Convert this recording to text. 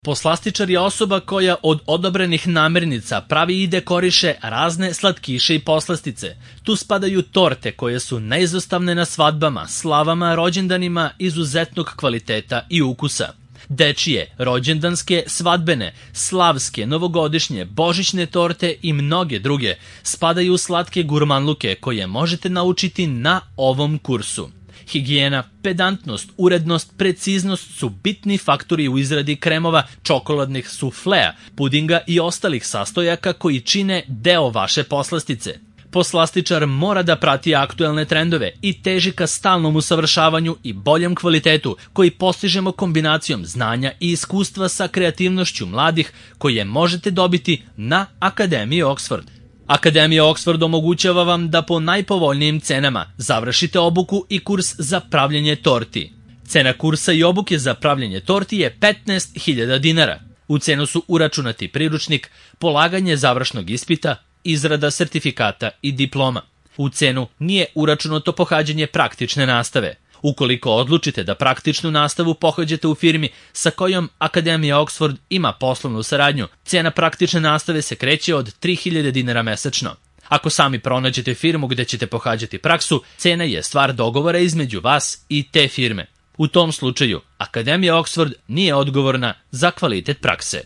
Poslastičar je osoba koja od odobrenih namirnica pravi i dekoriše razne slatkiše i poslastice. Tu spadaju torte koje su neizostavne na svadbama, slavama, rođendanima izuzetnog kvaliteta i ukusa. Dečije, rođendanske, svadbene, slavske, novogodišnje, božićne torte i mnoge druge spadaju u slatke gurmanluke koje možete naučiti na ovom kursu. Higijena, pedantnost, urednost, preciznost su bitni faktori u izradi kremova, čokoladnih suflea, pudinga i ostalih sastojaka koji čine deo vaše poslastice. Poslastičar mora da prati aktuelne trendove i teži ka stalnom usavršavanju i boljem kvalitetu koji postižemo kombinacijom znanja i iskustva sa kreativnošću mladih koje možete dobiti na Akademiji Oxford. Akademija Oxford omogućava vam da po najpovoljnijim cenama završite obuku i kurs za pravljenje torti. Cena kursa i obuke za pravljenje torti je 15.000 dinara. U cenu su uračunati priručnik, polaganje završnog ispita, izrada sertifikata i diploma. U cenu nije uračunato pohađanje praktične nastave. Ukoliko odlučite da praktičnu nastavu pohađate u firmi sa kojom Akademija Oxford ima poslovnu saradnju, cena praktične nastave se kreće od 3.000 dinara mesečno. Ako sami pronađete firmu gde ćete pohađati praksu, cena je stvar dogovora između vas i te firme. U tom slučaju, Akademija Oxford nije odgovorna za kvalitet prakse.